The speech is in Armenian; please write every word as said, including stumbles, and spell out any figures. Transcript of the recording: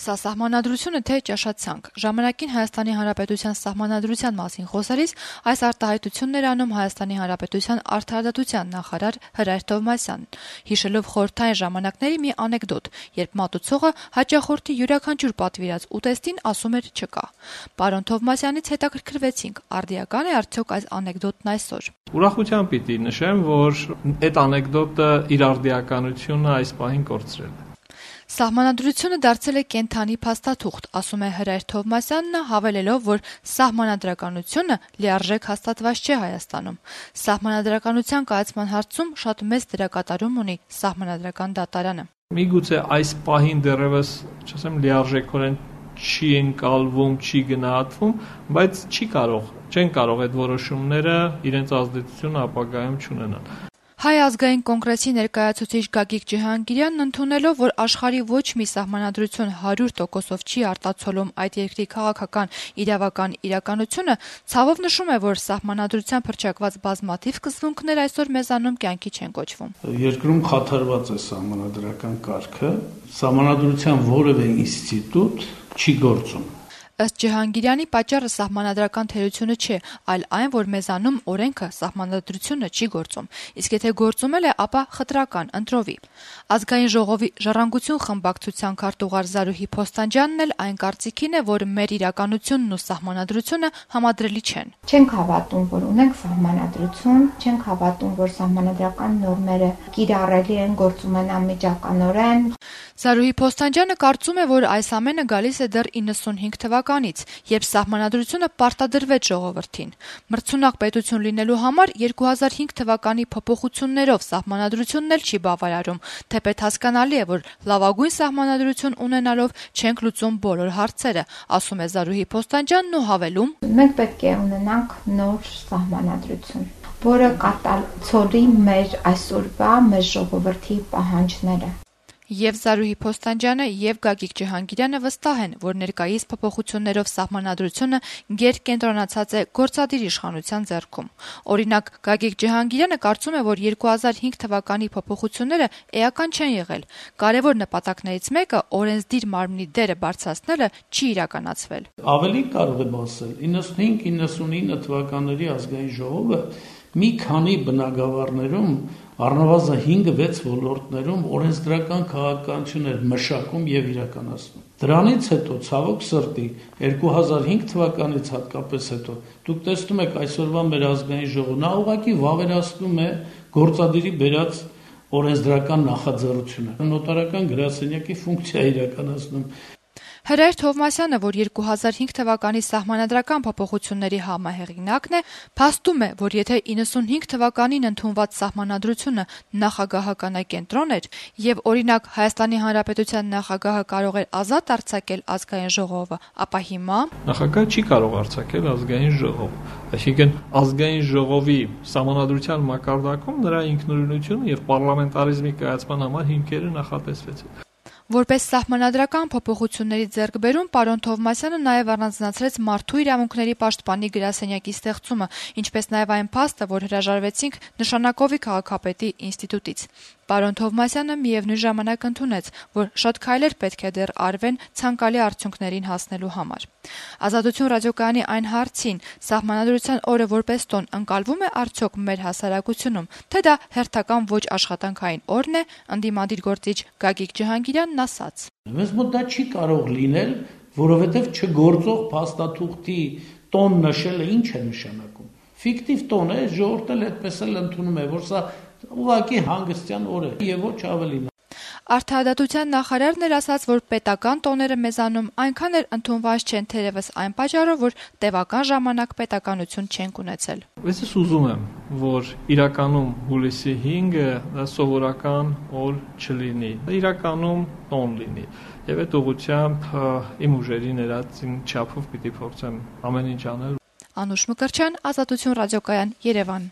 Սա սահմանադրությունը թե ճաշացանկ։ Ժամանակին Հայաստանի Հանրապետության սահմանադրության մասին խոսելիս այս արտահայտությունն էր անում Հայաստանի Հանրապետության արդարադատության նախարար Հրայր Թովմասյանն, հիշելով խորհրդային ժամանակների մի անեկդոտ, երբ մատուցողը հաճախորդի յուրաքանչյուր պատվիրած ուտեստին ասում էր չկա։ Պարոն Թովմասյանից հետաքրքրվեցինք, արդիական է արդյոք այս անեկդոտն այսօր։ Ուրախությամբ պիտի նշեմ, որ այդ անեկդոտը իր արդիականությունը այս պահին կորցրել է։ Սահմանադրությունը դարձել է կենդանի փաստաթուղթ, ասում է Հրայր Թովմասյանը, հավելելով, որ սահմանադրականությունը լիարժեք հաստատված չէ Հայաստանում։ Սահմանադրականության կայացման հարցում շատ մեծ դերակատարում ունի Սահմանադրական դատարանը։ Միգուցե այս պահին դեռևս, չասեմ, լիարժեքորեն չի ընկալվում, չի գնահատվում, բայց չի կարող, չեն կարող այդ որոշումները իրենց ազդեցությունը ապագայում չունենան։ Հայ ազգային կոնգրեսի ներկայացուցիչ Գագիկ Ջհանգիրյանն ընդունելով, որ աշխարհի ոչ մի սահմանադրություն հարյուր տոկոսով չի արտացոլում այդ երկրի քաղաքական իրավական իրականությունը, ցավով նշում է, որ սահմանադրությամբ հռչակված բազմաթիվ սկզբունքներ այսօր մեզանում կյանքի չեն կոչվում։ Երկրում խաթարված է սահմանադրական կարգը, սահմանադրության որևէ ինստիտուտ չի գործում։ Ըստ Ջհանգիրյանի պատճառը սահմանադրական թերությունը չէ, այլ այն, որ մեզանում օրենքը սահմանադրությունը չի գործում, իսկ եթե գործում էլ է, ապա խտրական, ընտրովի։ Ազգային ժողովի ժառանգություն խմբակցության քարտուղար Զարուհի Փոստանջյանն էլ այն կարծիքին է, որ մեր իրականությունն ու սահմանադրությունը համադրելի չեն։ Չենք հավատում, որ ունենք սահմանադրություն, չենք հավատում, որ սահմանադրական նորմերը կիրառելի են, գործում են անմիջականորեն։ Զարուհի Փոստանջյանը կարծում է, որ այս ամենը գալիս է դեռ իննսունհինգ թվականից, երբ սահմանադրությունը պարտադրվեց ժողովրդին։ Մրցունակ պետություն լինելու համար երկու հազար հինգ թվականի փոփոխություններով սահմանադրությունն էլ չի բավարարում, թեպետ հասկանալի է, որ լավագույն սահմանադրություն ունենալով չենք լուծում բոլոր հարցերը, ասում է Զարուհի Փոստանջյանն ու հավելում. Մենք պետք է ունենանք նոր սահմանադրություն, որը կատարեցնի մեր այսօրվա մեր ժողովրդի պահանջները։ Եվ Զարուհի Փոստանջյանը եւ Գագիկ Ջհանգիրյանը վստահ են, որ ներկայիս փոփոխություններով սահմանադրությունը գերկենտրոնացած է գործադիր իշխանության ձեռքում։ Օրինակ, Գագիկ Ջհանգիրյանը կարծում է, որ երկու հազար հինգ թվականի փոփոխությունները էական չեն եղել։ Կարևոր նպատակներից մեկը օրենսդիր մարմնի դերը բարձրացնելը չի իրականացվել։ Ավելի կարող եմ ասել, իննսունհինգ իննսունինը թվականների ազգային ժողովը մի քանի բնագավառներում առնվազն հինգ-վեց ոլորտներում օրենսդրական քաղաքականություն էր մշակում եւ իրականացնում։ Դրանից հետո, ցավոք սրտի, երկու հազար հինգ թվականից հատկապես հետո, դուք տեսնում եք այսօրվա մեր ազգային ժողովն ուղղակի վավերացնում է գործադիրի բերած օրենսդրական նախաձեռնությունը։ Նոտարական գրասենյակի ֆունկցիա իրականացնում։ Հրայր Թովմասյանը, որ երկու հազար հինգ թվականի սահմանադրական փոփոխությունների համահեղինակն է, փաստում է, որ եթե իննսունհինգ թվականին ընդունված սահմանադրությունը նախագահականակենտրոն էր եւ օրինակ Հայաստանի Հանրապետության նախագահը կարող էր ազատ արձակել ազգային ժողովը, ապա հիմա նախագահը չի կարող արձակել ազգային ժողով։ Այսինքն ազգային ժողովի սահմանադրության մակարդակում նրա ինքնուրույնությունը եւ պարլամենտարիզմի կայացման համար հիմքերը նախատեսվեցին։ Որպես սահմանադրական փոփոխությունների ձեռքբերում պարոն Թովմասյանը նաև առանձնացրեց մարդու իրավունքների պաշտպանի գրասենյակի ստեղծումը, ինչպես նաև այն փաստը, որ հրաժարվեցինք նշանակովի քաղաքապետի ինստիտուտից։ Պարոն Թովմասյանը միևնույն ժամանակ ընդունեց, որ շատ քայլեր պետք է դեռ արվեն ցանկալի արդյունքներին հասնելու համար։ Ազատություն ռադիոկայանի այն հարցին սահմանադրության օրը որպես տոն ընկալվում է արդյոք մեր հասարակությունում, թե դա հերթական ոչ աշխատանքային օրն է, ընդդիմադիր գործիչ Գագիկ Ջհանգիրյանն ասաց. Մեզ մոտ դա չի կարող լինել, որովհետև չգործող փաստաթուղթի տոն նշելը ինչ է նշանակում։ Ֆիկտիվ տոն է, ժողովուրդը այդպես էլ ընդունում է, որ սա ուղղակի հանգստյան օր է եւ ոչ ավելին։ Արդարադատության նախարարն էր ասաց, որ պետական տոները մեզանում այնքան էլ ընդունված չեն, թերևս այն պատճառով, որ տևական ժամանակ պետականություն չենք ունեցել։ Ես ուզում եմ, որ իրականում հուլիսի հինգը դա սովորական օր չլինի, իրականում տոն լինի։ Եվ այդ ուղղությամբ իմ ուժերի ներածին չափով պիտի փորձեմ ամեն ինչ անել։ Անուշ Մկրտչյան, Ազատություն ռադիոկայան, Երևան։